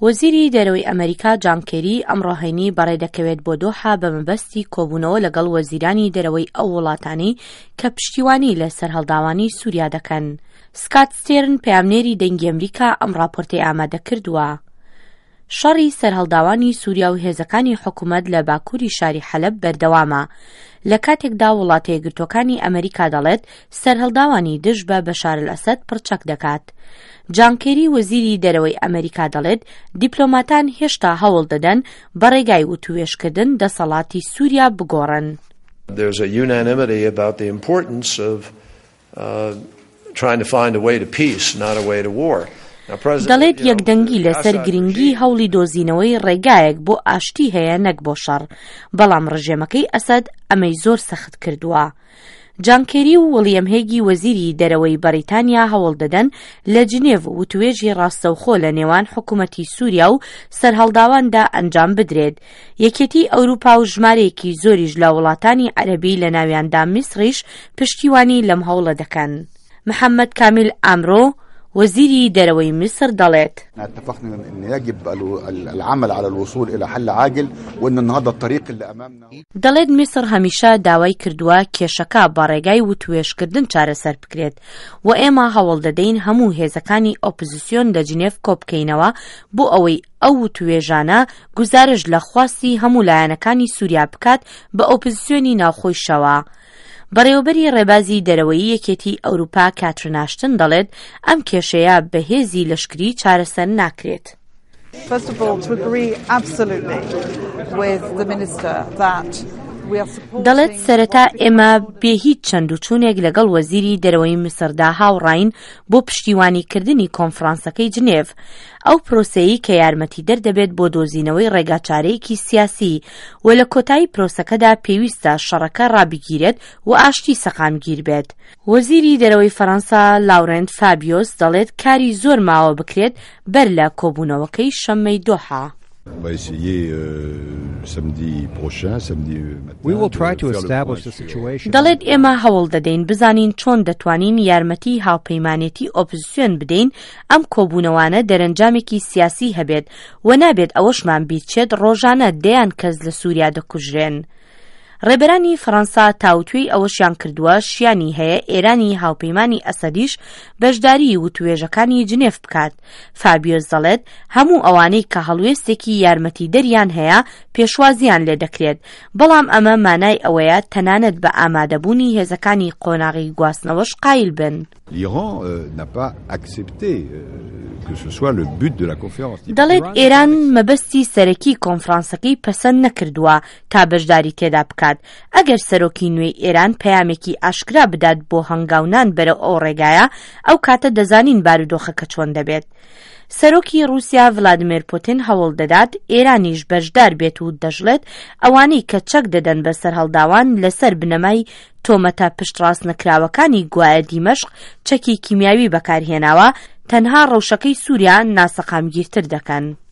وەزیری دەرەوەی ئەمەریکا جان کێری ئەمڕۆ هەینی بەڕێدەکەوێت بۆ دۆحە بە مەبەستی کۆبوونەوە لەگەڵ وەزیرانی دەرەوەی ئەو وڵاتانەی کە پشتیوانی لە سەرهەڵداوانی سووریا دەکەن. سکات ستێرن پەیامنێری دەنگی ئەمریکا ئەم ڕاپۆرتەی ئامادە کردووە. شەڕی سەرهەڵداوانی سووریا و هێزەکانی حکومەت لە باکووری شاری حەلەب بەردەوامە، لە کاتێکدا وڵاتە یەکگرتووەکانی ئەمریکا دەڵێت سەرهەڵداوانی دژ بە بەشار ئەلئەسەد پڕچەک دەکات. جان کێری وەزیری دەرەوەی ئەمریکا دەڵێت دیپلۆماتان هێشتا هەوڵ دەدەن بە ڕێگای وتووێژکردن دەسەڵاتی سووریا بگۆڕن. There's a unanimity about the importance of trying to find a way to peace, not a way to war. دەڵێت یەکدەنگی لەسەر گرنگی هەوڵی دۆزینەوەی ڕێگایەک بۆ ئاشتی هەیە نەک بۆ شەڕ، بەڵام ڕژێمەکەی ئەسەد ئەمەی زۆر سەخت کردووە. جان کێری و وڵیەم هێگی وەزیری دەرەوەی بەڕیتانیا هەوڵ دەدەن لە جنێڤ وتوێژی ڕاستەوخۆ لە نێوان حکومەتی سووریا و سەرهەڵداواندا ئەنجام بدرێت. یەکێتی ئەوروپا و ژمارەیەکی زۆریش لە وڵاتانی عەرەبی لە ناویاندا میسڕیش پشتیوانی لەم هەوڵە دەکەن. محەمەد کامیل ئامرۆ، وەزیری دەرەوەی میسر دەڵێت. دەڵێت میسڕ هەمیشە داوای کردووە کێشەکە بە ڕێگای وتوێژکردن چارەسەر بکرێت و ئێمە هەوڵ دەدەین هەموو هێزەکانی ئۆپزسیۆن لە جنێڤ کۆبکەینەوە بۆ ئەوەی ئەو وتوێژانە گوزارشت لە خواستی هەموو لایەنەکانی سووریا بکات بە ئۆپزسیۆنی ناوخۆیشەوە. بەڕێوەبەری ڕێبازی دەرەوەیی یەکێتیی ئەوروپا کاترن ئاشتن دەڵێت، ئەم کێشەیە بە هێزی لەشکری چارەسەر ناکرێت. دەڵێت سەرەتا ئێمە بێ هیچ چەند و چوونێک لەگەڵ وەزیری دەرەوەی میسردا هاوڕاین بۆ پشتیوانیکردنی کۆنفرانسەکەی جنێڤ، ئەو پرۆسەیەی کە یارمەتیدەر دەبێت بۆ دۆزینەوەی ڕێگاچارەیەکی سیاسی و لە کۆتایی پرۆسەکەدا پێویستە شەڕەکە ڕابگیرێت و ئاشتی سەقامگیر بێت. وەزیری دەرەوەی فەرەنسا لاورێنت فابیۆس دەڵێت کاری زۆر ماوە بکرێت بەر لە کۆبوونەوەکەی شەممەی دۆحە. دەڵێت ئێمە هەوڵ دەدەین بزانین چۆن دەتوانین یارمەتی هاوپەیمانێتی ئۆپزسیۆن بدەین ئەم کۆبوونەوانە دەرەنجامێکی سیاسی هەبێت و نابێت ئەوەشمان بیرچێت ڕۆژانە دەیان کەس لە سووریا دەکوژرێن. ڕێبەرانی فەڕەنسا تاوتوێی ئەوەشیان کردووە شیانی هەیە ئێرانی هاوپەیمانی ئەسەدیش بەشداریی وتوێژەکانی جنێف بکات. فابیۆس دەڵێت هەموو ئەوانەی کە هەڵوێستێکی یارمەتیدەریان هەیە پێشوازییان لێدەکرێت، بەڵام ئەمە مانای ئەوەیە تەنانەت بە ئامادەبوونی هێزەکانی قۆناغی گواستنەوەش قایل بن. L'Iran n'a pas accepté que ce soit le but de la conférence. دەڵێت ئێران مەبەستی سەرەکی کۆنفرانسەکەی پەسەند نەکردووە تا بەشداری تێدا بکات، ئەگەر سەرۆکی نوێی ئێران پەیامێکی ئاشکرا بدات بۆ هەنگاونان بەرەو ئەو ڕێگایە، ئەو کاتە دەزانین بارودۆخەکە چۆن دەبێت. سەرۆکی ڕووسیا ڤلادیمێر پوتین هەوڵ دەدات ئێرانیش بەشدار بێت و دەشڵێت ئەوانەی کە چەک دەدەن بە سەرهەڵداوان لەسەر بنەمای تۆمەتە پشتڕاستنەکراوەکانی گوایە دیمەشق چەکی کیمیاوی بەکارهێناوە، تەنها ڕەوشەکەی سووریا ناسەقامگیرتر دەکەن.